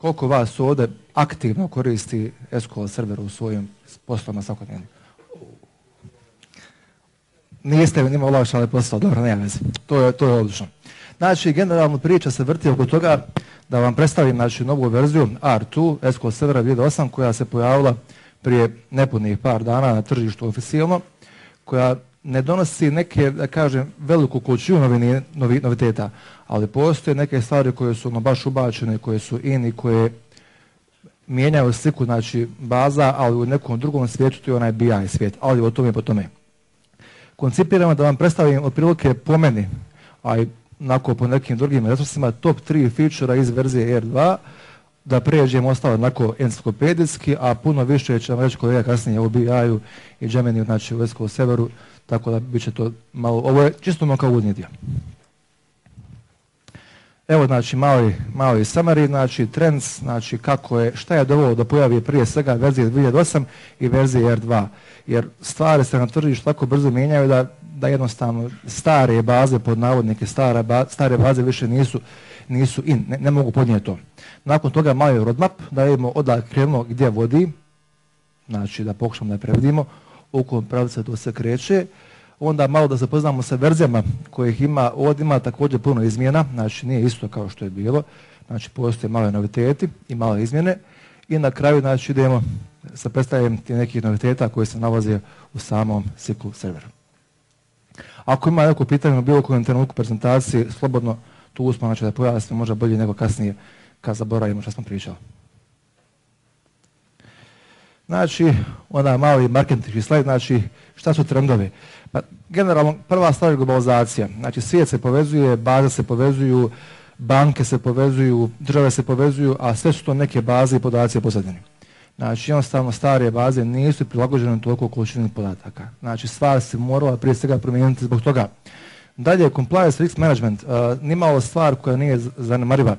koliko vas ovdje aktivno koristi SQL server u svojim poslovima svakodnevnim? Niste njima olakšali posao, dobro, nema veze. To je odlično. Znači, generalno priča se vrti oko toga da vam predstavim novu verziju R2 SQL servera 2008 koja se pojavila prije nepunih par dana na tržištu oficijalno, koja ne donosi neke, da kažem, veliku količinu noviteta, ali postoje neke stvari koje su baš ubačene, koje su i koje mijenjaju sliku, znači baza, ali u nekom drugom svijetu, to je onaj BI svijet, ali o tome po tome. Koncipiramo da vam predstavim otprilike po meni, a i po nekim drugim resursima, top 3 feature iz verzije R2, da pređemo ostalo onako enciklopedijski, a puno više će vam reći kolega kasnije u BI-u i Gemini, znači u SQL serveru, tako da bit će to malo, ovo je čisto kao uvodni dio. Evo, znači, mali summary, znači, trends, znači, šta je dovelo da pojavi prije svega verzije 2008 i verzije R2, jer stvari se na tržištu tako brzo mijenjaju da jednostavno stare baze, pod navodnike, stare baze više nisu ne mogu podnijeti to. Nakon toga mali roadmap, da vidimo odakle krenulo gdje vodi, znači da pokušamo da prevedimo, u kojem pravcu to se kreće. Onda malo da se poznamo sa verzijama kojih ima, ovdje ima također puno izmjena, znači nije isto kao što je bilo, znači postoje male noviteti i male izmjene i na kraju znači idemo sa predstavljanjem tih nekih noviteta koji se nalaze u samom SQL serveru. Ako ima neko pitanje u bilo kojem trenutku prezentacije, slobodno tu uspamo znači da pojasnimo možda bolje nego kasnije kad zaboravimo što smo pričali. Znači, onda mali marketinški slajd, znači šta su trendovi? Pa, generalno, prva stvar je globalizacija. Znači, svijet se povezuje, baze se povezuju, banke se povezuju, države se povezuju, a sve su to neke baze i podaci pozadini. Znači, jednostavno stare baze nisu prilagođene toliko količini podataka. Znači, stvar se morala prije svega promijeniti zbog toga. Dalje, compliance risk management, nimalo stvar koja nije zanemariva.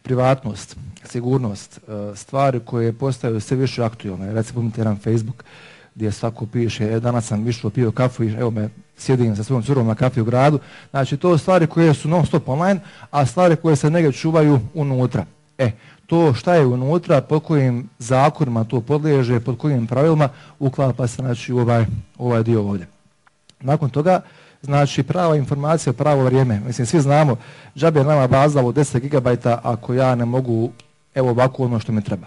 Privatnost, sigurnost, stvari koje postaju sve više aktualne. Recimo, imate jedan Facebook gdje svako piše, danas sam išao pio kafu i evo me sjedim sa svojom curom na kafi u gradu. Znači, to stvari koje su non stop online, a stvari koje se negdje čuvaju unutra. To šta je unutra, pod kojim zakonima to podliježe, pod kojim pravilima, uklapa se znači, u ovaj dio ovdje. Nakon toga, znači prava informacija, pravo vrijeme. Mislim, svi znamo, džabe nama baza od 10 GB ako ja ne mogu, evo ovako ono što mi treba.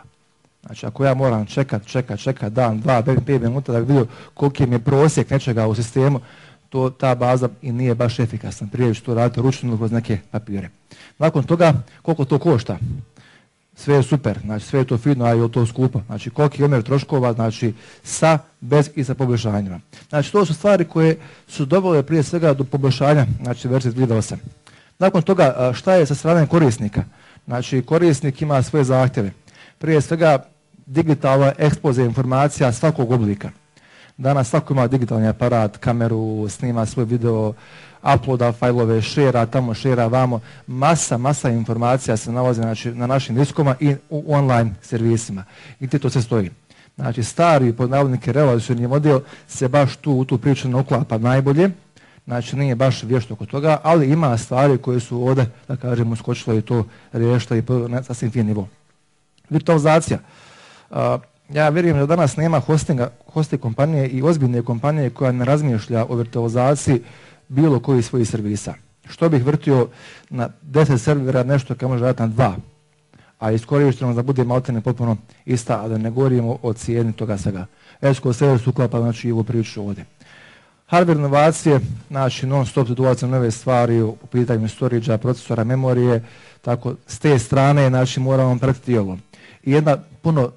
Znači, ako ja moram čekat dan, 2, 5 minuta da bi vidio koliki mi je prosjek nečega u sistemu, ta baza i nije baš efikasna. Prije ću to raditi ručno kroz neke papire. Nakon toga, koliko to košta? Sve je super, znači sve je to fino, a je to skupo. Znači, koliki je omjer troškova, znači sa, bez i sa poboljšanjima. Znači, to su stvari koje su dovele prije svega do poboljšanja, znači verzije 2008. Nakon toga, šta je sa strane korisnika? Znači, korisnik ima svoje zahtjeve. Prije svega, digitalna ekspoze informacija svakog oblika. Danas svako ima digitalni aparat, kameru, snima svoj video, uploada fajlove, šera tamo, šera vamo. Masa informacija se nalazi znači, na našim diskoma i u online servisima. I gdje to sve stoji. Znači, stari pod navodnike relacioni model se baš u tu priču ne uklapa najbolje. Znači, nije baš vješto oko toga, ali ima stvari koje su ovdje, da kažemo, skočile i to riješile i na sasvim fin nivo. Virtualizacija. Ja vjerujem da danas nema hosting kompanije i ozbiljne kompanije koja ne razmišlja o virtualizaciji bilo koji svojih servisa. Što bih vrtio na 10 servera nešto kad može raditi na 2, a iskorišteno da bude maltene potpuno ista, a da ne govorimo o cijeni toga svega. SQL server se uklapa znači i ovu priču ovdje. Hardware inovacije, znači non stop dolaze nove stvari u pitanju storage-a, procesora, memorije, tako s te strane znači moramo pratiti ovo. I jedna puno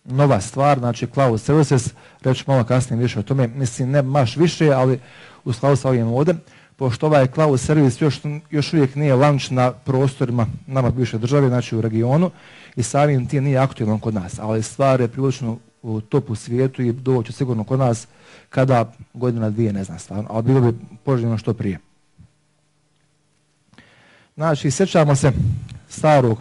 nova stvar, znači cloud services, reći malo kasnije više o tome, mislim ne baš više, ali u skladu sa ovim ovdje, pošto ovaj cloud servis još uvijek nije launch na prostorima nama bivše države, znači u regionu, i samim tim nije aktualan kod nas, ali stvar je prilično u topu svijetu i doći sigurno kod nas kada godina dvije, ne znam stvarno, ali bilo bi poželjno što prije. Znači, sjećamo se starog,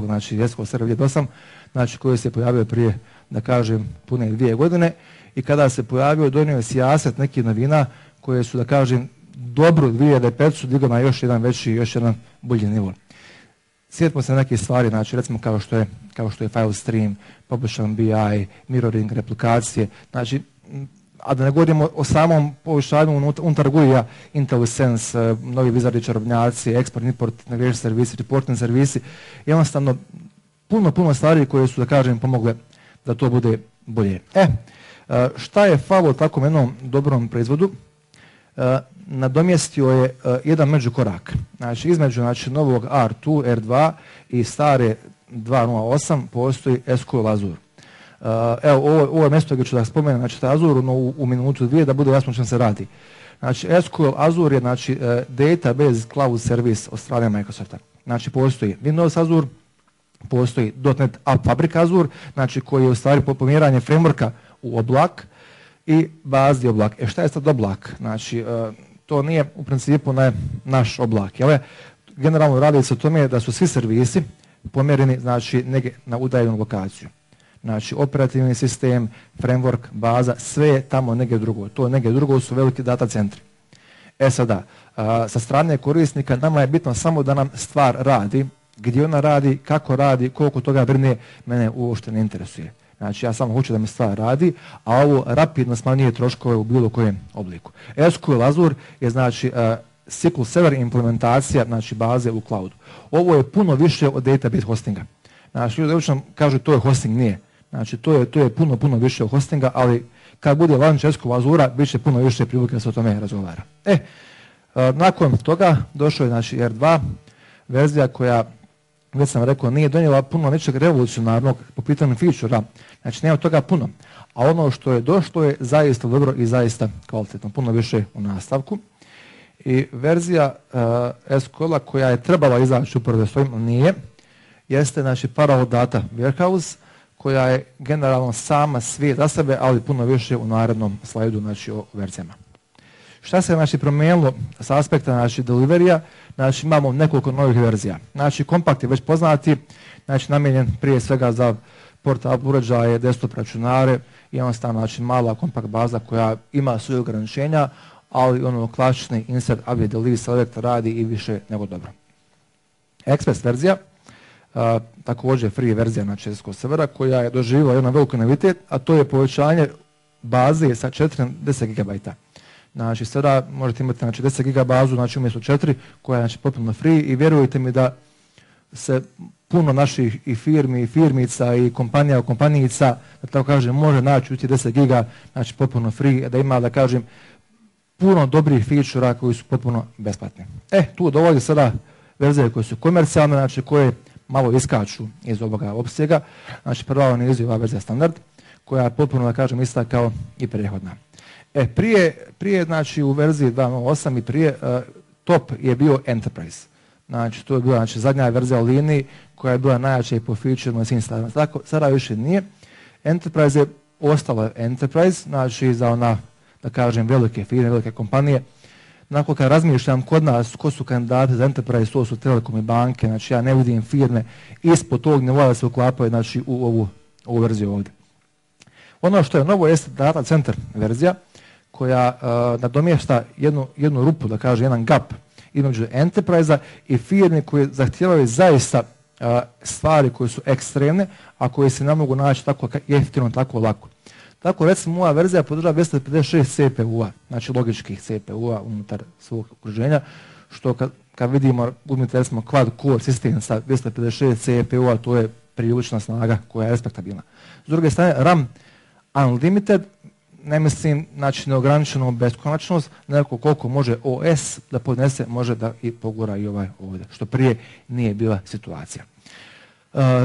znači SQL server 2008, znači koji se pojavio prije, da kažem, pune 2 godine i kada se pojavio, donio je sijaset nekih novina koje su, da kažem, dobro 2005 su digao na još jedan veći, još jedan bolji nivo. sjetimo se nekih stvari, znači recimo kao što je file stream, publish BI, mirroring, replikacije, znači, a da ne govorimo o samom poboljšanju unutar GUI-a, IntelliSense, novi vizardi čarobnjaci, export, import, integration servisi, reporting servisi, jednostavno puno stvari koje su, da kažem, pomogle da to bude bolje. Šta je falo takvom jednom dobrom proizvodu? Nadomjestio je jedan međukorak. Znači, između novog R2, R2 i stare 2.0.8 postoji SQL Azure. Evo, ovo je mjesto gdje ću da spomenem, znači Azure u minutu dvije da bude jasno o čem se radi. Znači, SQL Azure je database cloud service od strane Microsofta. Znači, postoji Windows Azure, postoji .NET App Fabric Azure, znači koji je u stvari pomjeranje frameworka u oblak i bazni oblak. Šta je sad oblak? Znači, to nije u principu naš oblak. Generalno radi se o tome da su svi servisi pomjereni, znači, negdje na udaljenu lokaciju. Znači, operativni sistem, framework, baza, sve je tamo negdje drugo. To negdje drugo su veliki data centri. Sada, sa strane korisnika nama je bitno samo da nam stvar radi, gdje ona radi, kako radi, koliko toga brine, mene uopšte ne interesuje. Znači, ja samo hoću da mi stvar radi, a ovo rapidno smanjuje troškove u bilo kojem obliku. SQL Azure je, znači, SQL Server implementacija, znači, baze u cloudu. Ovo je puno više od database hostinga. Znači, ljudi obično kažu to je hosting, nije. Znači, to je puno više od hostinga, ali kad bude launch SQL Azura, bit će puno više prilike da se o tome razgovara. Nakon toga došao je, znači, R2, verzija koja, već sam rekao, nije donijela puno nečeg revolucionarnog po pitanju feature-a. Znači, nema toga puno. A ono što je došlo je zaista dobro i zaista kvalitetno. Puno više u nastavku. I verzija SQL-a koja je trebala izaći upravo s ovim, nije, jeste, znači, Parallel Data Warehouse, koja je generalno sama svijet za sebe, ali puno više u narednom slajdu, znači, o verzijama. Šta se, znači, promijenilo s aspekta, znači, deliverija? Znači, imamo nekoliko novih verzija. Znači, kompakt je već poznati, znači, namijenjen prije svega za portable uređaje, desktop računare, jednostavno, znači, mala kompakt baza koja ima svoje ograničenja, ali ono klasični insert, avia, delete, select radi i više nego dobro. Express verzija, također free verzija, znači, SQL servera, koja je doživjela jedan veliki novitet, a to je povećanje baze sa 4 na 10 GB. Znači, sada možete imati, znači, 10 GB bazu, znači, umjesto 4, koja je, znači, potpuno free, i vjerujte mi da se puno naših i firmi, i firmica, i kompanijica, da tako kažem, može naći u 10 GB, znači, potpuno free, da ima, da kažem, puno dobrih feature-a koji su potpuno besplatni. Tu dolazi sada verzije koje su komercijalne, znači, koje malo iskaču iz ovoga opsega. Znači, prva nizu je ova verzija standard, koja je potpuno, da kažem, ista kao i prethodna. Prije, znači, u verziji 2.0.8 i prije, top je bio Enterprise. Znači, to je bila, znači, zadnja verzija u liniji koja je bila najjača i po feature na svim stavima. Tako, sada više nije. Enterprise je ostala Enterprise, znači, za ona, da kažem, velike firme, velike kompanije. Nakon kad razmišljam kod nas ko su kandidati za Enterprise, to su telekom i banke, znači, ja ne vidim firme ispod tog nivoa da se uklapaju, znači, u ovu verziju ovdje. Ono što je novo jeste Data Center verzija, koja nadomješta jednu rupu, da kaže, jedan gap između Enterprise-a i firmi koje zahtijevaju zaista stvari koje su ekstremne, a koje se ne mogu naći tako jeftino, tako lako. Tako, recimo, ova verzija podržava 256 CPU-a, znači logičkih CPU-a unutar svog okruženja, što kad vidimo, uzmite, recimo, quad core sistem sa 256 CPU-a, to je prilična snaga koja je respektabilna. S druge strane, RAM Unlimited, ne mislim, znači, neograničenu beskonačnost, nego koliko može OS da podnese, može da i pogura i ovaj ovdje, što prije nije bila situacija.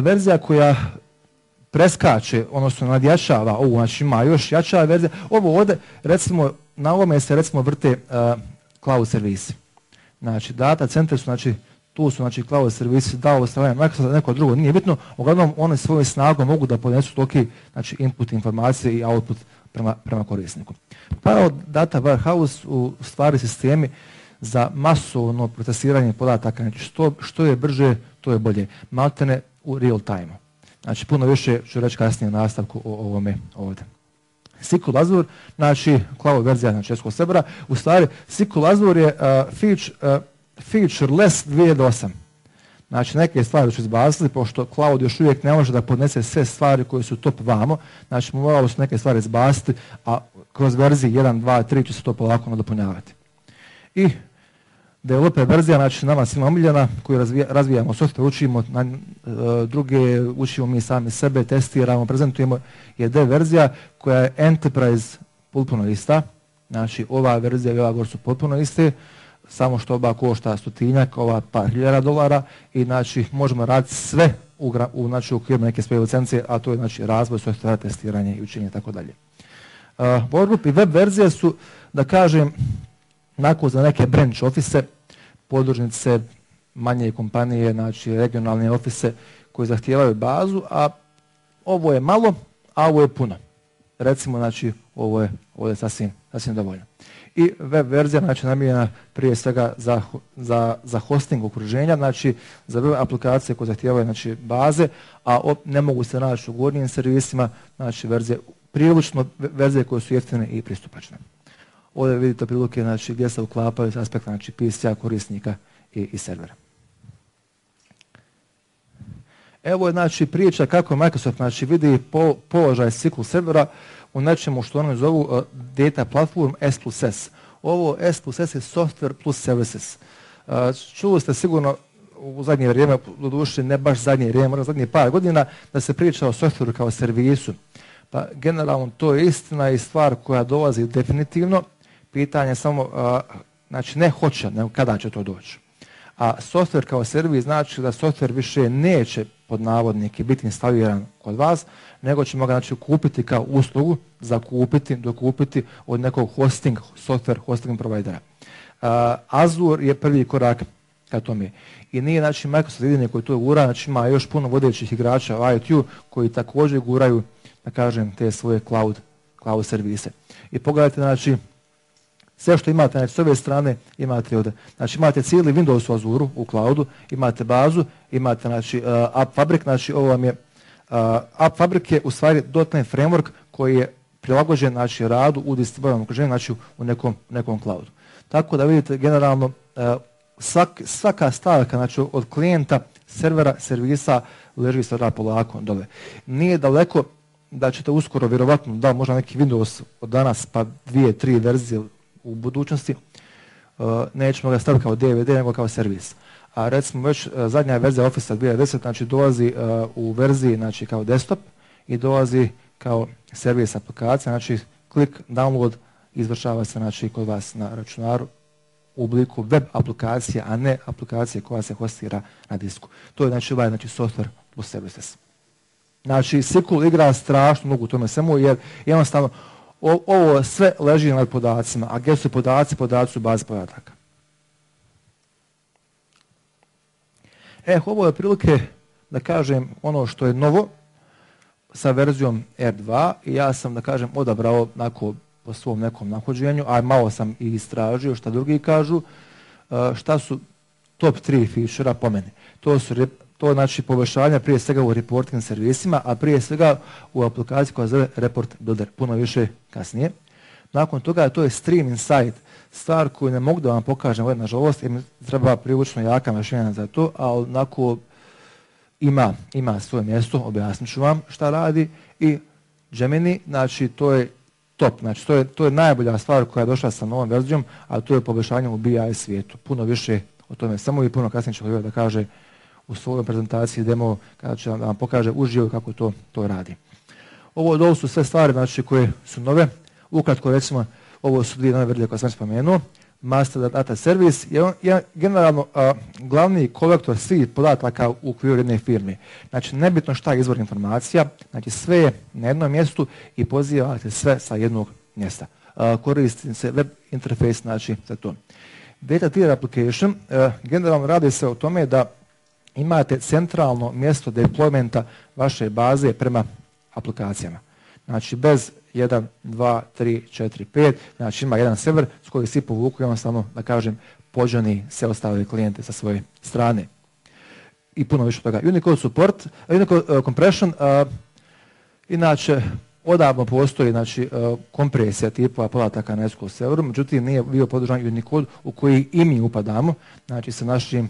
Verzija koja preskače, odnosno nadjačava ovu, znači, ima još jača verzija. Ovo ovdje, recimo, na ovome se, recimo, vrte cloud servisi. Znači, data centri su, znači, tu su, znači, cloud servisi, da ovo strane Microsoft, neko drugo, nije bitno, uglavnom one svojom snagom mogu da podnesu toki, znači, input informacije i output prema korisniku. Parallel Data Warehouse u stvari sistemi za masovno procesiranje podataka, znači, što je brže, to je bolje. Maltene u real time. Znači, puno više ću reći kasnije u nastavku o ovome ovdje. SQL Azure, znači, cloud verzija, znači, SQL servera, u stvari, SQL Azure je featureless 2008. Znači neke stvari su izbacili, pošto cloud još uvijek ne može da podnese sve stvari koje su top vamo, znači moralo su neke stvari izbaciti, a kroz verziji 1, 2, 3 će se to polako nadopunjavati. I developer verzija, znači nama svima omiljena, koju razvijamo software, učimo druge, učimo mi sami sebe, testiramo, prezentujemo, je dev verzija koja je enterprise potpuno ista. Znači ova verzija i ova gore su potpuno iste, samo što oba košta stotinjak, ova par hiljada dolara i znači možemo raditi sve u okviru neke svoje licencije, a to je znači razvoj softvera, testiranje i učenje i tako dalje. Workgroup i web verzije su, da kažem, nakon za neke branch office, podružnice, manje kompanije, znači regionalne office koji zahtijevaju bazu, a ovo je malo, a ovo je puno. Recimo, znači, ovo je sasvim dovoljno. I web verzija, znači, namijenjena prije svega za hosting okruženja, znači, za web aplikacije koje zahtijevaju, znači, baze, a ne mogu se naći u gornjim servisima, znači, prilično verzije koje su jeftine i pristupačne. Ovdje vidite prilike, znači, gdje se uklapaju s aspekta, znači, PC-a, korisnika i servera. Evo je, znači, priča kako Microsoft, znači, vidi položaj SQL servera u nečemu što oni zovu data platform S+S. Ovo S+S je software plus services. Čuli ste sigurno u zadnje vrijeme, doduše ne baš zadnje vrijeme, možda zadnje par godina, da se priča o softwareu kao servisu. Pa generalno to je istina i stvar koja dolazi definitivno. Pitanje je samo, znači ne hoće, nego kada će to doći. A software kao servis znači da software više neće pod navodnike biti instaliran kod vas, nego ćemo ga znači kupiti kao uslugu, dokupiti od nekog software hosting provajdera. Azure je prvi korak ka tome. I nije znači Microsoft jedini koji to gura, znači ima još puno vodećih igrača u IoT koji također guraju, da kažem, te svoje cloud servise. I pogledajte, znači, sve što imate, znači, s ove strane imate ovdje. Znači imate cijeli Windows u Azure, u cloudu, imate bazu, imate znači App Fabric, znači ovo vam je App Fabric je u stvari .NET framework koji je prilagođen znači radu u distribuiranom okruženju, znači u nekom cloudu. Tako da vidite generalno svaka stavka znači od klijenta, servera, servisa leži sada polako dole. Nije daleko da ćete uskoro vjerovatno da možda neki Windows od danas pa 2, 3 verzije u budućnosti, nećemo ga staviti kao DVD nego kao servis. A recimo već zadnja verzija Office 2010 znači dolazi u verziji znači kao desktop i dolazi kao servis aplikacija, znači klik, download, izvršava se znači kod vas na računaru u obliku web aplikacije, a ne aplikacije koja se hostira na disku. To je znači ovaj znači software plus services. Znači SQL igra strašno mnogo u tome svemu jer jednostavno ovo sve leži nad podacima, a gdje su podaci? Podaci su baze podataka. Ovo je otprilike, da kažem, ono što je novo sa verzijom R2 i ja sam, da kažem, odabrao po svom nekom nahođenju, a malo sam i istražio šta drugi kažu, šta su top 3 feature-a po meni. To je znači poboljšanje prije svega u reporting servisima, a prije svega u aplikaciji koja zove Report Builder, puno više kasnije. Nakon toga to je Stream Insight, stvar koju ne mogu da vam pokažem ovdje nažalost, jer mi treba prilično jaka mašina za to, ali onako ima svoje mjesto, objasnit ću vam šta radi. I Gemini, znači to je top, znači to je najbolja stvar koja je došla sa novom verzijom, a to je poboljšanje u BI svijetu. Puno više o tome samo i puno kasnije ću da kaže u svojoj prezentaciji demo kada će vam pokaže uživo kako to radi. Ovo su sve stvari znači, koje su nove. Ukratko recimo, ovo su dvije nove verzije koje sam spomenuo. Master Data Service je generalno glavni kolektor svih podataka u okviru jedne firme. Znači nebitno šta je izvor informacija, znači sve je na jednom mjestu i pozivate sve sa jednog mjesta. Koristi se web interface znači za to. Data Tier Application generalno radi se o tome da imate centralno mjesto deploymenta vaše baze prema aplikacijama. Znači bez 1, 2, 3, 4, 5, znači ima jedan server s kojim svi povuku i on samo, da kažem, pođani se ostale klijente sa svoje strane. I puno više toga. Unicode support, Unicode compression, inače odavno postoji znači, kompresija tipova podataka na SQL serveru, međutim nije bio podržan Unicode u koji i mi upadamo, znači sa našim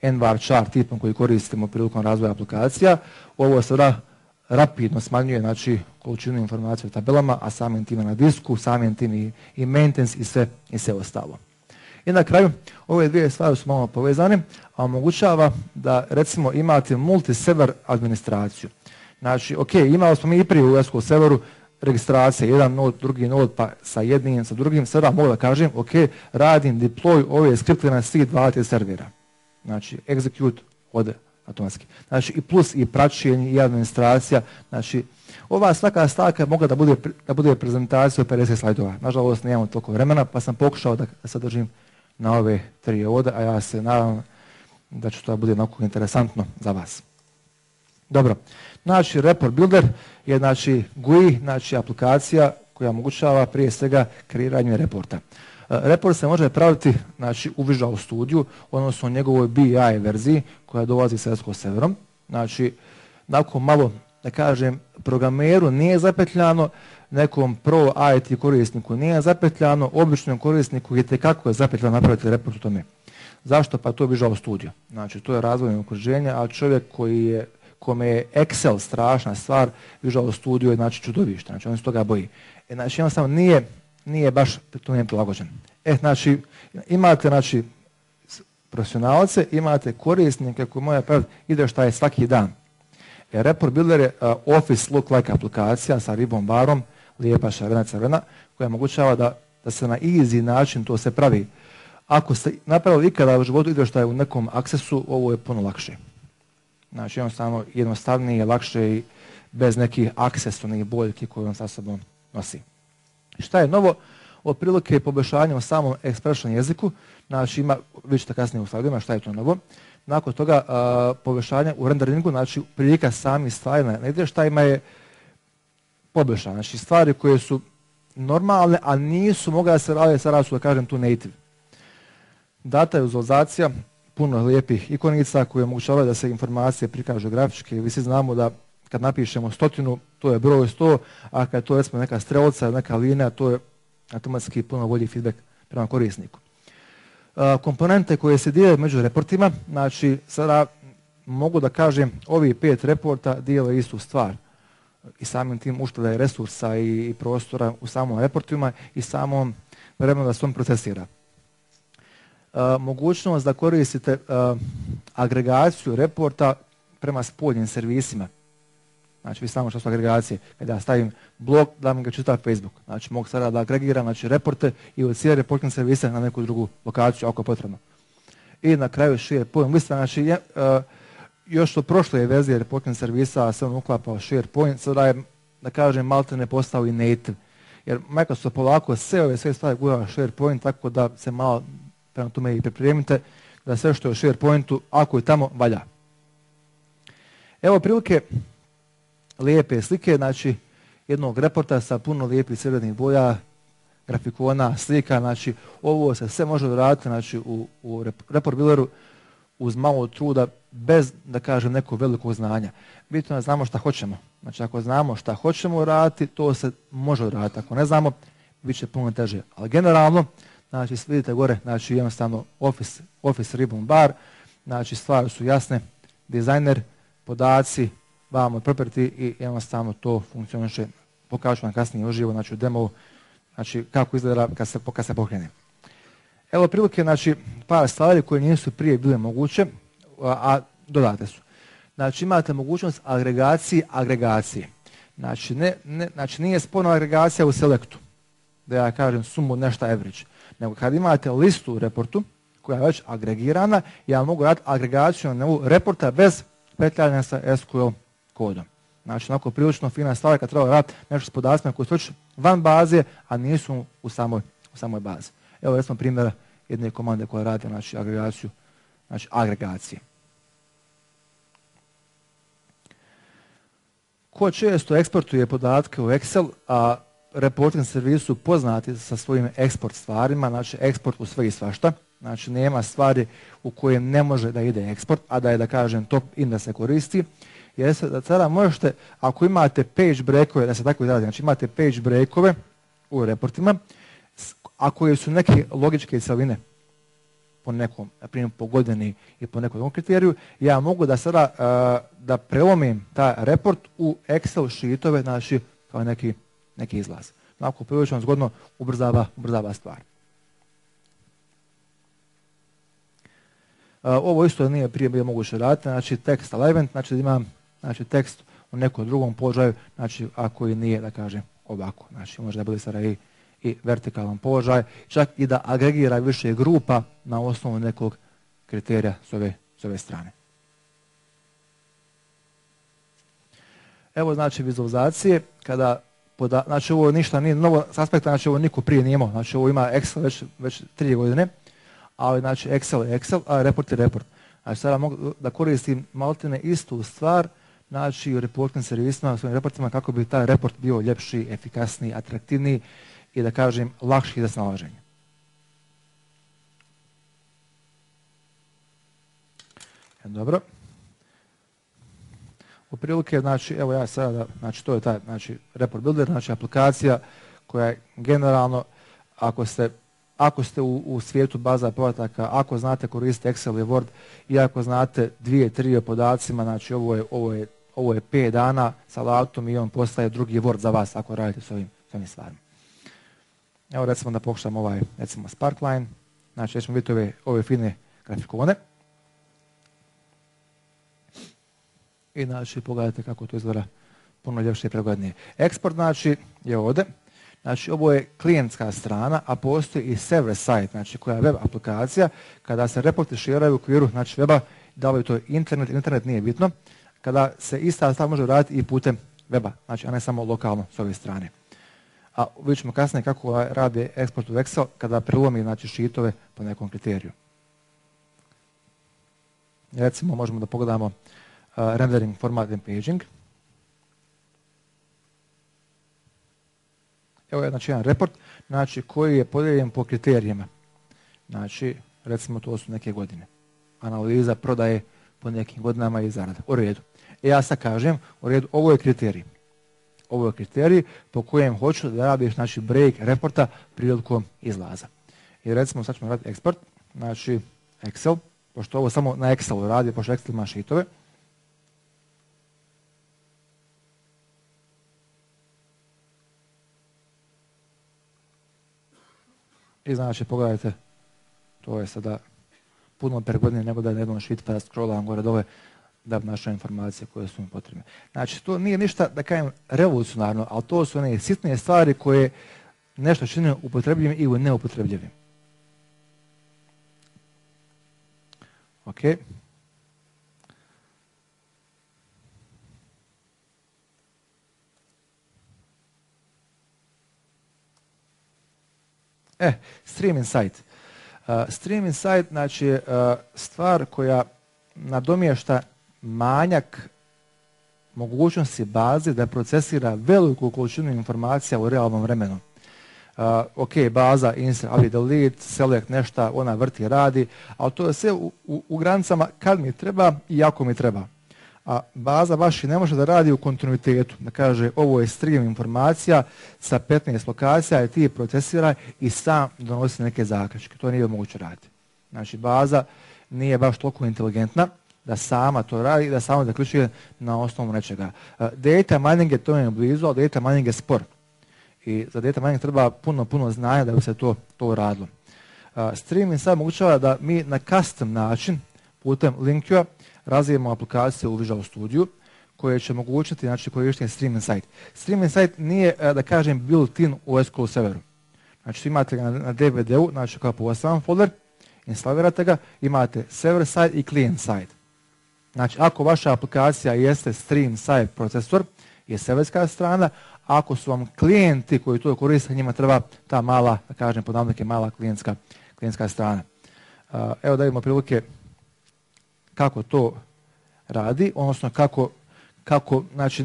nvar chart tipom koji koristimo prilikom razvoja aplikacija. Ovo sada rapidno smanjuje znači, količinu informacija u tabelama, a samim tim na disku, samim tim i maintenance i sve ostalo. I na kraju, ove dvije stvari su malo povezane, a omogućava da recimo imate multi-server administraciju. Znači, ok, imali smo mi i prije u SQL serveru registracije, jedan node, drugi node, pa sa jednim, sa drugim, sada mogu da kažem, ok, radim deploy ove skripte na svih 20 servera. Znači, execute ode automatski. Znači, i plus i praćenje i administracija. Znači, ova svaka stavka mogla da bude prezentacija od 50 slajdova. Nažalost, nemamo toliko vremena, pa sam pokušao da sadržim na ove 3 ovdje, a ja se nadam da će to bude onako interesantno za vas. Dobro, znači Report Builder je znači GUI, znači aplikacija koja omogućava prije svega kreiranje reporta. Report se može praviti znači, u Visual Studio, odnosno u njegovoj BI verziji koja dolazi sa SQL serverom. Znači, nakon malo, da kažem, programeru nije zapetljano, nekom pro IT korisniku nije zapetljano, običnom korisniku je tekako je zapetljano napraviti report u tome. Zašto? Pa to je Visual Studio. Znači, to je razvojno okruženje, a čovjek kome je Excel strašna stvar, Visual Studio je znači čudovište, znači on se toga boji. Znači, jednostavno nije baš tome prilagođen. Znači, imate znači, profesionalce, imate korisnike koji moraju praviti izvještaje svaki dan. Report Builder je Office look-like aplikacija sa ribom barom, lijepa šarena crvena, koja omogućava da se na easy način to se pravi. Ako ste napravili ikada u životu izvještaj u nekom aksesu, ovo je puno lakše. Znači jednostavnije, lakše i bez nekih aksesovnih boljki koje on sa sobom nosi. Šta je novo? Otprilike poboljšanje u samom expression jeziku, znači vi ćete kasnije u slajdovima šta je to novo. Nakon toga poboljšanje u renderingu, znači prilika samih stvari na izvještajima je poboljšanje. Znači stvari koje su normalne, a nisu mogla da se raditi, sada su da kažem tu native. Data vizualizacija, puno lijepih ikonica koje omogućavaju da se informacije prikažu grafički. Vi svi znamo da kad napišemo 100, to je broj 100, a kad to recimo neka strelca, neka linija, to je automatski puno bolji feedback prema korisniku. Komponente koje se dijele među reportima, znači sada mogu da kažem ovi 5 reporta dijele istu stvar i samim tim ušteda resursa i prostora u samom reportima i samom vremenu da se on procesira. Mogućnost da koristite agregaciju reporta prema spoljnim servisima. Znači vi samo što su agregacije. Kada ja stavim blog, da mi ga čita Facebook. Znači mogu sada da agregiram znači, reporte i od cijele reportne servise na neku drugu lokaciju ako je potrebno. I na kraju SharePoint lista. Znači još od prošle verzije reportnih servisa se on uklapao SharePoint, sada je, da kažem, malte ne postao i native. Jer Microsoft polako sve stvari gura SharePoint, tako da se malo prema tome i pripremite da sve što je u SharePointu, ako je tamo, valja. Evo prilike lijepe slike, znači jednog reporta sa puno lijepih crvenih boja, grafikona, slika, znači ovo se sve može raditi znači, u Report Builderu uz malo truda, bez, da kažem, nekog velikog znanja. Bitno je da znamo šta hoćemo. Znači ako znamo šta hoćemo raditi, to se može raditi. Ako ne znamo, bit će puno teže. Ali generalno, znači vidite gore, znači jednostavno Office ribbon bar, znači stvari su jasne, dizajner, podaci, vamo property i jednostavno to funkcioniše. Pokažu vam kasnije uživo, znači u demo, znači kako izgleda kad se pokrene. Evo prilike, znači par stvari koje nisu prije bile moguće, a dodate su. Znači imate mogućnost agregacije. Znači nije sporno agregacija u selectu, da ja kažem sumu nešto average. Nego kad imate listu u reportu koja je već agregirana, ja mogu raditi agregaciju na reporta bez petljanja sa SQL kodom. Znači, onako prilično fina stvar kad treba raditi nešto s podacima koji su već van baze, a nisu u samoj bazi. Evo recimo primjera jedne komande koja radi znači, agregaciju, znači agregacije. Ko često eksportuje podatke u Excel, a reporting servisu poznati sa svojim eksport stvarima, znači eksport u sve i svašta, znači nema stvari u kojem ne može da ide eksport, a da je, da kažem, top in da se koristi, jer da sada možete, ako imate page breakove, da se tako izrazi, znači imate page breakove u reportima, a koje su neke logičke cjeline, po nekom, na primjer po godini i po nekom kriteriju, ja mogu da sada da prelomim taj report u Excel sheetove, znači kao neki izlaz. Onako prilično zgodno ubrzava stvar. Ovo isto nije prije bilo moguće raditi, znači text alignment, znači da imam tekst u nekom drugom položaju, znači ako i nije, da kažem, ovako. Znači može da bude sada i vertikalan položaj, čak i da agregira više grupa na osnovu nekog kriterija s ove strane. Evo znači vizualizacije, znači ovo ništa nije novo s aspekta, znači ovo niko prije nije imao, znači ovo ima Excel već 3 godine, ali znači Excel je Excel, a report je report. Znači sada mogu da koristim maltene istu stvar, znači u reportnim servisima, u svojim reportima, kako bi taj report bio ljepši, efikasniji, atraktivniji i da kažem lakši za snalaženje. Dobro. U prilike, znači, evo ja sada, znači to je taj, znači, report builder, znači aplikacija koja je generalno, ako ste u svijetu baza podataka, ako znate koristiti Excel i Word i ako znate 2-3 o podacima, znači ovo je 5 dana sa alatom i on postaje drugi Word za vas ako radite s ovim stvarima. Evo recimo da pokušam recimo Sparkline, znači ćemo vidjeti ove fine grafikone. I znači pogledajte kako to izgleda puno ljepše i pregodnije. Eksport znači je ovdje. Znači ovo je klijentska strana, a postoji i server site, znači koja je web aplikacija. Kada se reporti širaju u okviru znači weba, davaju to internet nije bitno. Kada se ista stvar može raditi i putem weba, znači a ne samo lokalno s ove strane. A vidjet ćemo kasnije kako radi eksport u Excel kada prelomi znači sheetove po nekom kriteriju. Recimo možemo da pogledamo rendering, format and paging. Evo je znači jedan report znači, koji je podijeljen po kriterijima. Znači, recimo to su neke godine. Analiza prodaje po nekim godinama i zarada. U redu. Ja sad kažem, u redu, ovo je kriterij. Ovo je kriterij po kojem hoću da radiš znači, break reporta prilikom izlaza. I recimo sad ćemo raditi eksport, znači Excel, pošto ovo samo na Excelu radi, pošto Excel ima sheetove. I znači, pogledajte, to je sada puno pregodnije nego da je na jednom sheet pa da scrollam gore dole da bi našao informacije koje su mi potrebne. Znači, to nije ništa, da kažem, revolucionarno, ali to su one sitne stvari koje nešto čine upotrebljivim ili neupotrebljivim. Ok. Stream Insight. Stream Insight znači je stvar koja nadomješta manjak mogućnosti baze da procesira veliku količinu informacija u realnom vremenu. Ok, baza, insert, ali delete, select, nešto, ona vrti, radi, ali to je sve u granicama kad mi treba i ako mi treba. A baza baš i ne može da radi u kontinuitetu, da kaže ovo je stream informacija sa 15 lokacija i ti je procesiraj i sam donosi neke zaključke. To nije moguće raditi. Znači baza nije baš toliko inteligentna da sama to radi i da samo zaključuje na osnovu nečega. Data mining je to je blizu, ali data mining je spor. I za data mining treba puno znanja da bi se to radilo. Streaming sad omogućava da mi na custom način putem Linkua razvijemo aplikaciju u Visual Studio koje će omogućiti znači, korištenje Stream Insight. Stream Insight nije, da kažem, built-in u SQL serveru. Znači imate ga na DVD-u, znači kao poseban folder, instalirate ga, imate server side i client side. Znači ako vaša aplikacija jeste Stream Side procesor, je serverska strana, ako su vam klijenti koji to koriste, njima treba ta mala, da kažem, pod navodnike mala klijentska strana. Evo da vidimo prilike kako to radi, odnosno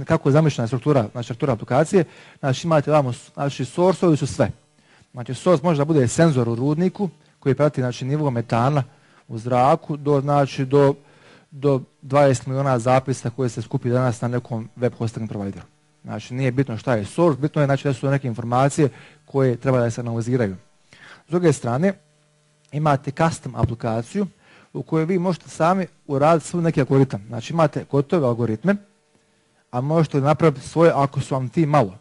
kako je zamišljena struktura aplikacije. Znači imate vamo, znači source-ovi su sve. Znači source može da bude senzor u rudniku koji prati znači, nivo metana u zraku do 20 miliona zapisa koje se skupi danas na nekom web hosting provideru. Znači nije bitno šta je source, bitno je znači, da su neke informacije koje treba da se analiziraju. S druge strane, imate custom aplikaciju u kojoj vi možete sami uraditi svoj neki algoritam. Znači imate gotove algoritme, a možete napraviti svoje ako su vam ti malo.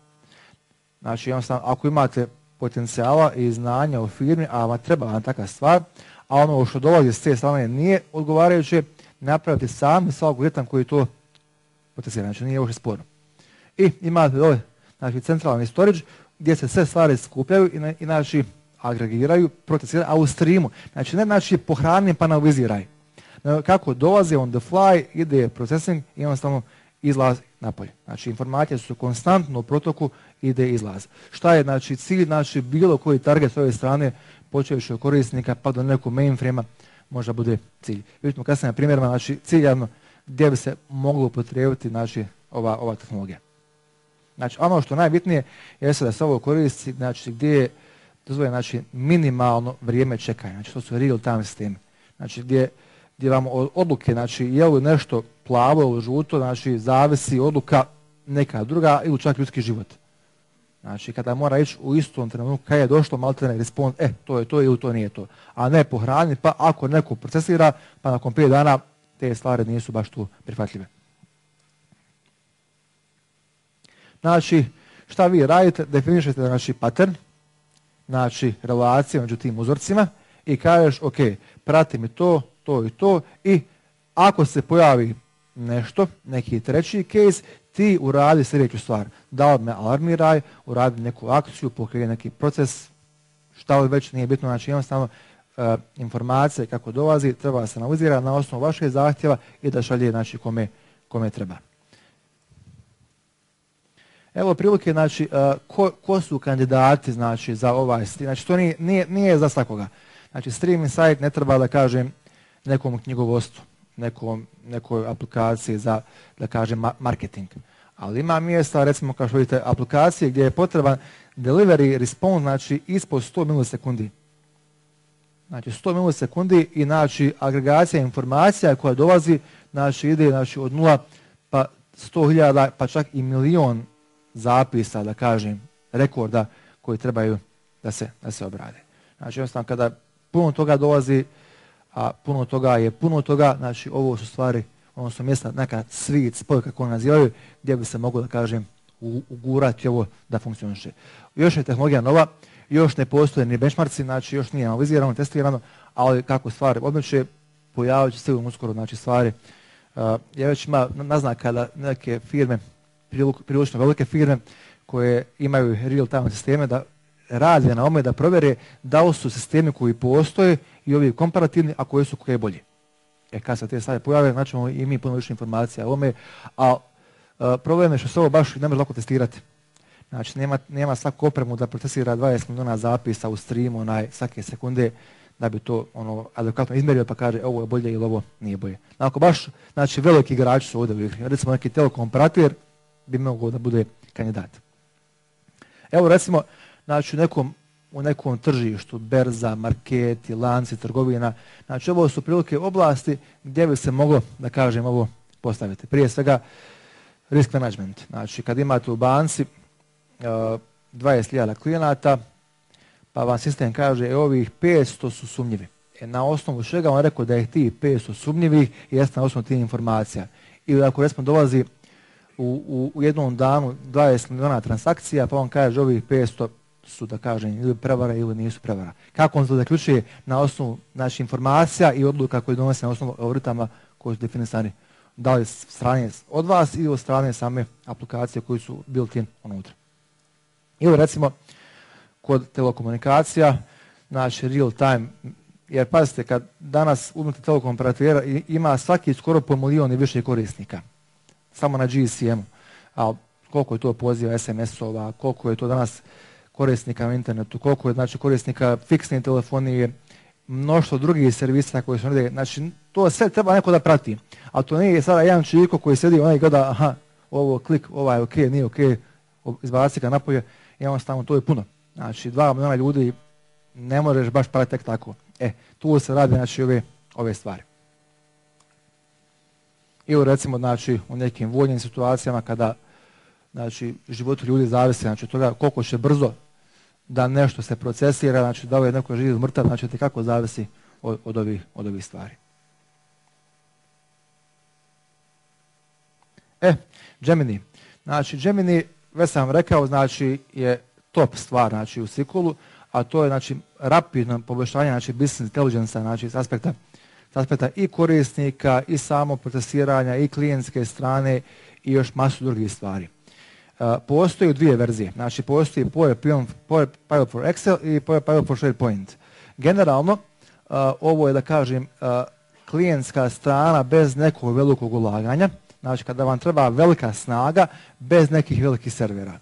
Znači jednostavno ako imate potencijala i znanja u firmi, a vam treba vam takva stvar, a ono što dolazi s te strane nije odgovarajuće, napraviti sami svoj algoritam koji to potencijala. Znači nije uopće sporno. I imate dole znači, centralni storage gdje se sve stvari skupljaju i znači agregiraju, procesiraju, a u streamu. Znači ne znači pohrani pa analiziraj. Kako dolazi on the fly, ide procesing i jednostavno izlaz napolje. Znači informacije su konstantno u protoku, ide izlaz. Šta je znači cilj, znači bilo koji target s ove strane, počevši od korisnika pa do nekog mainframe-a možda bude cilj. Vidimo kasnije na primjerima, znači ciljano gdje bi se moglo upotrijebiti znači ova tehnologija. Znači ono što najbitnije jeste da se ovo koristi, znači gdje je dozvoljeno znači minimalno vrijeme čekanja, znači to su real time sistemi. Znači gdje vam od odluke, znači je li nešto plavo ili žuto, znači zavisi odluka neka druga ili čak ljudski život. Znači kada mora ići u istom trenutku kada je došlo maltene respond, to je to ili to nije to. A ne pohraniti, pa ako neko procesira, pa nakon 5 dana te stvari nisu baš tu prihvatljive. Znači, šta vi radite? Definišete znači pattern, znači relacije među tim uzorcima i kažeš, ok, prati mi to i to i ako se pojavi nešto, neki treći case, ti uradi sljedeću stvar. Da li me alarmiraj, uradi neku akciju, pokrije neki proces, šta li već nije bitno, znači jednostavno informacije kako dolazi, treba se analizirati na osnovu vašeg zahtjeva i da šalje znači kome treba. Evo prilike, znači, ko su kandidati znači, za ovaj stream. Znači, to nije za svakoga. Znači, streaming site ne treba da kažem nekom knjigovodstvu, nekoj aplikaciji za, da kažem, marketing. Ali ima mjesta, recimo, kao što vidite, aplikacije gdje je potreban delivery response, znači, ispod 100 milisekundi. Znači, 100 milisekundi i, znači, agregacija informacija koja dolazi, znači, ide, znači, od 0 pa 100.000, pa čak i milion zapisa, da kažem, rekorda koji trebaju da se obrade. Znači, jednostavno, kada puno toga dolazi, a puno toga je puno toga, znači, ovo su stvari, ono su mjesta, neka sweet spot, kako nazivaju, gdje bi se moglo, da kažem, ugurati ovo da funkcioniše. Još je tehnologija nova, još ne postoje ni benchmarci, znači, još nije analizirano, testirano, ali kako stvari odmeće, pojavit će se uskoro, znači, stvari. Ja već ima naznaka da neke firme, prilično velike firme koje imaju real-time sisteme da rade na ome da provjere da li su sistemi koji postoje i ovi komparativni, a koji su koje bolji. Kad se te stvari pojave, znači i mi puno više informacija o ome, a problem je što se ovo baš ne može lako testirati. Znači nema svaku opremu da procesira 20 milijuna zapisa u streamu svake sekunde da bi to adekvatno izmjerio pa kaže ovo je bolje ili ovo nije bolje. Ako baš, znači veliki igrači su ovdje u igri, recimo neki telekom operator bi mogao da bude kandidat. Evo recimo, znači u nekom tržištu, berza, marketi, lanci, trgovina, znači ovo su prilike oblasti gdje bi se moglo, da kažem, ovo postaviti. Prije svega risk management. Znači kad imate u banci 20.000 klijenata, pa vam sistem kaže ovih 500 su sumnjivi. Na osnovu čega on rekao da je tih 500 sumnjivih jeste na osnovu tih informacija. Ili ako recimo dolazi u jednom danu 20 milijuna transakcija, pa on kaže ovih 500 su, da kažem, ili prevara ili nisu prevara. Kako on to zaključuje na osnovu znači, informacija i odluka koje donose na osnovu algoritama koji su definisani da li strane od vas ili od strane same aplikacije koji su built-in unutra. Ili recimo kod telekomunikacija, znači real time, jer pazite, kad danas uzmete telekom operatera ima svaki skoro po milion i više korisnika. Samo na GSM-u. A koliko je to poziva SMS-ova, koliko je to danas korisnika na internetu, koliko je znači korisnika fiksne telefonije, mnoštvo drugih servisa koji su negdje. Znači, to sve treba neko da prati. Ali to nije sada jedan čiko koji sedi i gleda, aha, ovo klik, ovaj je ok, nije ok, izbaci ga napolje, i jednostavno to je puno. Znači, 2 milijuna ljudi ne možeš baš pratiti tek tako. Tu se radi znači ove stvari. Ili recimo znači u nekim vojnim situacijama kada znači život ljudi zavisi znači od toga koliko će brzo da nešto se procesira, znači da je neko živ mrtav, znači te kako zavisi od ovih stvari. Gemini. Znači Gemini, već sam rekao, znači je top stvar znači u SQL-u, a to je znači rapidno poboljšanje znači business intelligence, znači s aspekta i korisnika i samo procesiranja i klijentske strane i još masu drugih stvari. Postoji dvije verzije, znači postoji Power for Excel i Power for SharePoint. Generalno, ovo je da kažem klijentska strana bez nekog velikog ulaganja, znači kada vam treba velika snaga bez nekih velikih servera.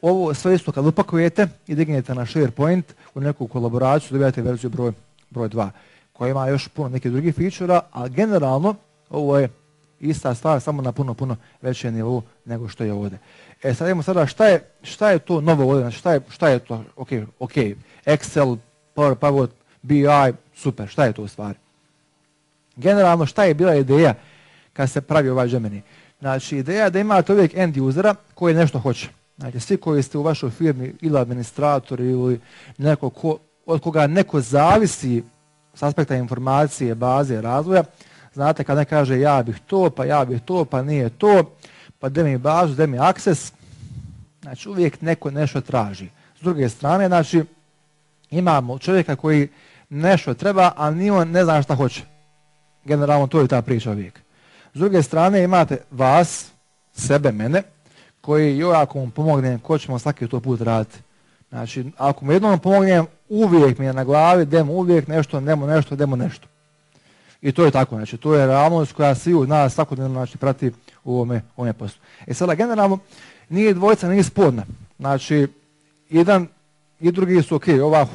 Ovo sve isto kad upakujete i dignete na SharePoint u neku kolaboraciju, dobijate verziju broj 2 koja ima još puno nekih drugih feature-a, a generalno ovo je ista stvar samo na puno većem nivou nego što je ovdje. Sad idemo sada šta je to novo ovdje, znači šta je to, ok, Excel, Power, BI, super, šta je to u stvari? Generalno šta je bila ideja kad se pravi ovaj Gemini? Znači ideja je da imate uvijek end usera koji nešto hoće. Znači svi koji ste u vašoj firmi ili administratori ili neko od koga neko zavisi s aspekta informacije, baze, razvoja, znate kad ne kaže ja bih to, pa nije to, pa da mi bazu, da mi access, znači uvijek neko nešto traži. S druge strane, znači imamo čovjeka koji nešto treba, a ni on ne zna šta hoće. Generalno to je ta priča uvijek. S druge strane imate vas, sebe, mene, koji joj ako mu pomognem, ko ćemo svaki to put raditi. Znači, ako mu jednom pomognem, uvijek mi je na glavi, demo uvijek nešto, demo nešto. I to je tako, znači, to je realnost koja svi od nas svakodnevno znači, prati u ovome poslu. Sada, generalno, nije dvojica, nije sporna. Znači, jedan i drugi su ok,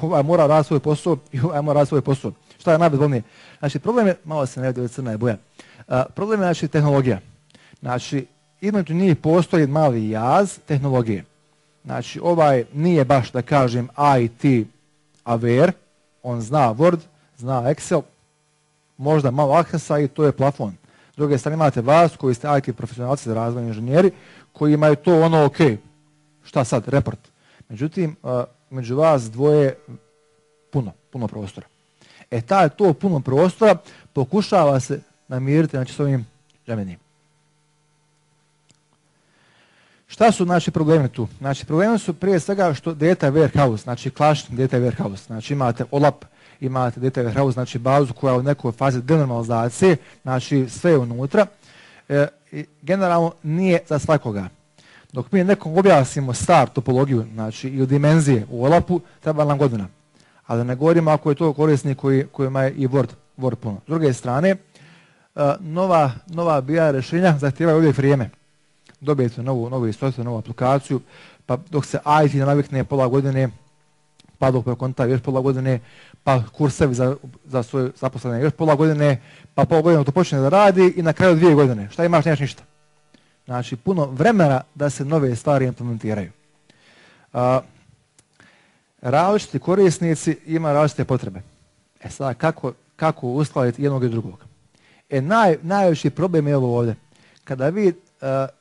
ovaj mora raditi svoj posao i ovaj mora raditi svoj posao. Šta je najbezbolnije? Znači, problem je, malo se ne vidi, crna je boja. Problem je, znači, tehnologija. Znači, između njih postoji mali jaz tehnologije. Znači, ovaj nije baš, da kažem, IT aware, on zna Word, zna Excel, možda malo Accessa i to je plafon. S druge strane imate vas koji ste IT profesionalci, razvojni inženjeri, koji imaju to ono ok, šta sad, report. Međutim, među vas dvoje puno prostora. To puno prostora pokušava se namiriti znači, s ovim Gemini. Šta su znači problemi tu? Znači problemi su prije svega što data warehouse, znači klasični data warehouse, znači imate OLAP, imate data warehouse, znači bazu koja je u nekoj fazi denormalizacije, znači sve je unutra. Generalno nije za svakoga. Dok mi nekom objasnimo star topologiju, znači i u dimenzije u OLAP-u, treba nam godina. Ali ne govorimo ako je to korisnik koji ima i Word puno. S druge strane, nova BI rješenja zahtijevaju uvijek vrijeme. Dobijete novu istoriju, novu aplikaciju, pa dok se IT navikne pola godine, pa dok prekonta još pola godine, pa kursevi za svoje zaposlene još pola godine, pa pola godine to počne da radi i na kraju 2 godine. Šta imaš, nemaš ništa. Znači, puno vremena da se nove stvari implementiraju. Različiti korisnici ima različite potrebe. Sada, kako uskladiti jednog i drugog? Najveći problem je ovo ovdje. Kada vi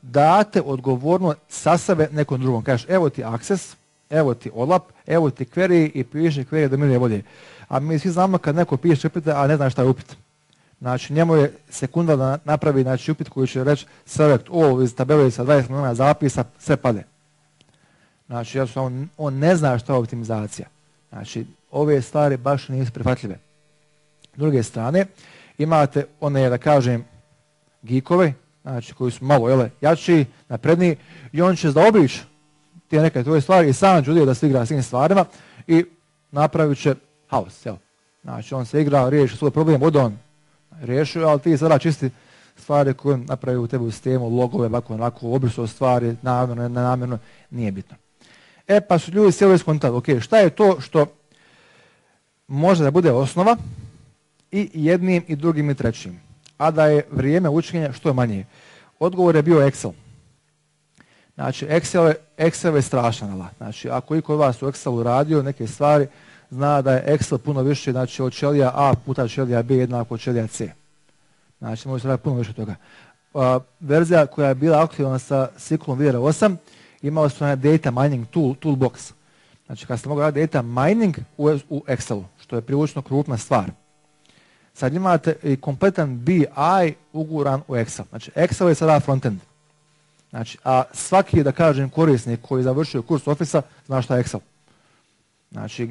date odgovornost sa sebe nekom drugom. Kažeš, evo ti access, evo ti OLAP, evo ti query i piše query do milije volje. A mi svi znamo kad neko piše upite, a ne zna šta je upit. Znači, njemu je sekunda da napravi znači, upit koji će reći select all iz tabele sa 20 milijuna zapisa, sve pade. Znači, on ne zna šta je optimizacija. Znači, ove stvari baš nisu prihvatljive. S druge strane, imate one, da kažem, geekove, znači koji su malo jači, napredniji i on će zaobići te neke tvoje stvari i sam će da se igra s tim stvarima i napravit će haos. Znači on se igra, riješi svoj problem, od on riješio, ali ti sada čisti stvari koje napravi u tebi u sistemu, logove, ovako, obrisao stvari, namjerno, nenamjerno, nije bitno. Pa su ljudi sjeli skontali, ok, šta je to što može da bude osnova i jednim i drugim i trećim, a da je vrijeme učenja što je manje. Odgovor je bio Excel. Znači, Excel je strašan alat. Znači, ako iko od vas u Excelu radio neke stvari, zna da je Excel puno više, znači od ćelija A puta ćelija B jednako od ćelija C. Znači, može se raditi puno više toga. Verzija koja je bila aktivna sa SQL-om VR8, imala su data mining toolbox. Znači kad ste mogli raditi data mining u Excelu, što je prilično krupna stvar. Sad imate i kompletan BI uguran u Excel. Znači Excel je sada frontend. Znači, a svaki, da kažem, korisnik koji je završio kurs Office-a zna šta je Excel. Znači,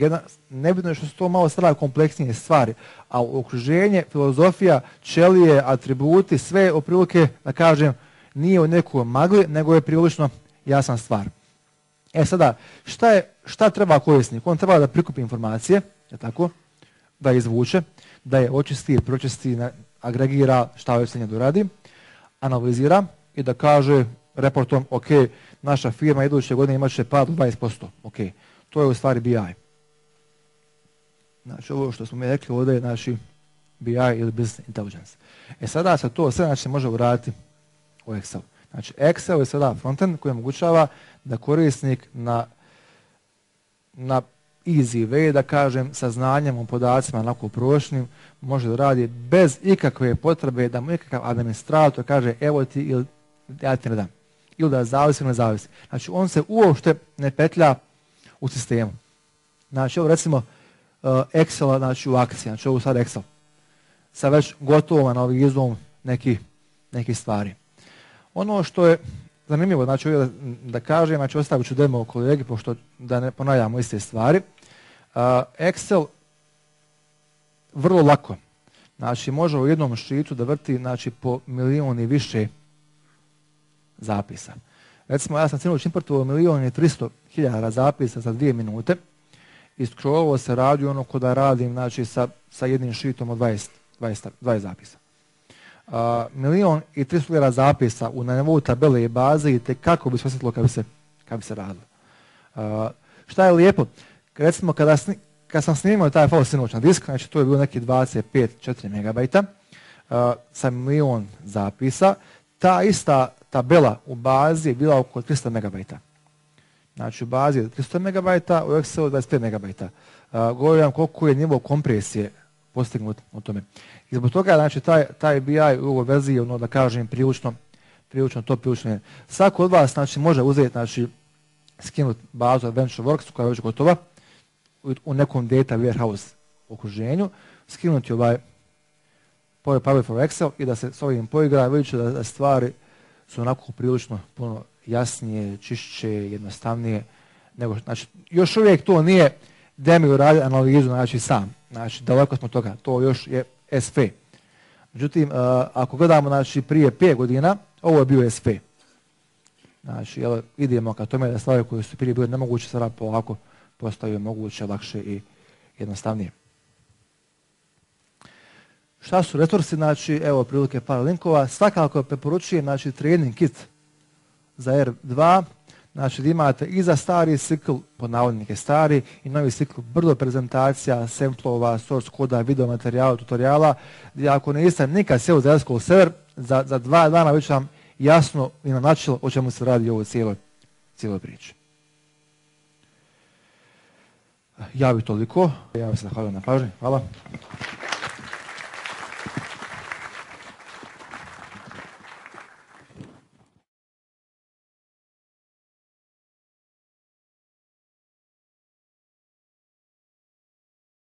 nebitno je što su to malo sada kompleksnije stvari, a okruženje, filozofija, ćelije, atributi, sve oprilike, da kažem, nije u nekoj magli, nego je prilično jasna stvar. Sada, šta treba korisnik? On treba da prikupi informacije, je tako, da je izvuče, da je očisti, pročisti, agregira, šta već se nje doradi, analizira i da kaže reportom, ok, naša firma iduće godine imat će pad od 20%. Ok, to je u stvari BI. Znači, ovo što smo mi rekli ovdje je naši BI ili Business Intelligence. Sada se to sve znači, može uraditi u Excel. Znači, Excel je sada frontend koji omogućava da korisnik na easy way, da kažem, sa znanjem o podacima onako prošlim, može da radi bez ikakve potrebe da mu ikakav administrator kaže evo ti ili ja ti ne dam. Ili da zavisi ili ne zavisi. Znači, on se uopšte ne petlja u sistemu. Znači, ovo recimo Excel, znači u akciji, znači ovo sad Excel. Sa već gotovom analizom nekih stvari. Ono što je zanimljivo, znači da kažem, znači ostavit ću demo kolegi, pošto da ne ponavljamo iste stvari. Excel vrlo lako, znači može u jednom sheetu da vrti znači, po 1.000.000 i više zapisa. Recimo, ja sam sinoć importovao 1.300.000 zapisa za 2 minute i scrollovo se radi ono ko da radim znači, sa jednim sheetom od 20 zapisa. 1.300.000 zapisa na nivou tabele i baze i kako bi se osjetilo kad bi se radilo. Šta je lijepo? Recimo, kad sam snimao taj file sinoć na disk, znači to je bilo neki 25-4 megabajta sa 1.000.000 zapisa, ta ista tabela u bazi je bila oko 300 megabajta. Znači u bazi je 300 megabajta, u Excelu 25 megabajta. Govorim koliko je nivo kompresije postignut u tome. I zbog toga, znači, taj BI u ovoj verziji je, ono, da kažem, prilično top, prilično je. Svako od vas, znači, može uzeti, znači, skinuti bazu AdventureWorks koja je već gotova u nekom data warehouse okruženju, skinuti ovaj Power for Excel i da se s ovim poigra, vidjet će da stvari su onako prilično puno jasnije, čišće, jednostavnije. Znači, još uvijek to nije da mi uradi analizu, znači sam. Znači, daleko smo toga, to još je SP. Međutim, ako gledamo znači, prije 5 godina, ovo je bio SP. Znači, idemo ka tome da stvari koje su prije bile nemoguće, sada polako postaju moguće, lakše i jednostavnije. Šta su resursi? Znači, evo prilike par linkova. Svakako preporučujem znači, trening kit za R2. Znači, da imate i za stari cikl, pod navodnike stari, i novi cikl brdo prezentacija, samplova, source koda, video materijala, tutoriala, gdje ako niste nikad sjeli za SQL server, za 2 dana već vam jasno i na načelo o čemu se radi u ovoj cijeloj priči. Ja bih toliko. Ja bih se zahvalio na pažnji. Hvala.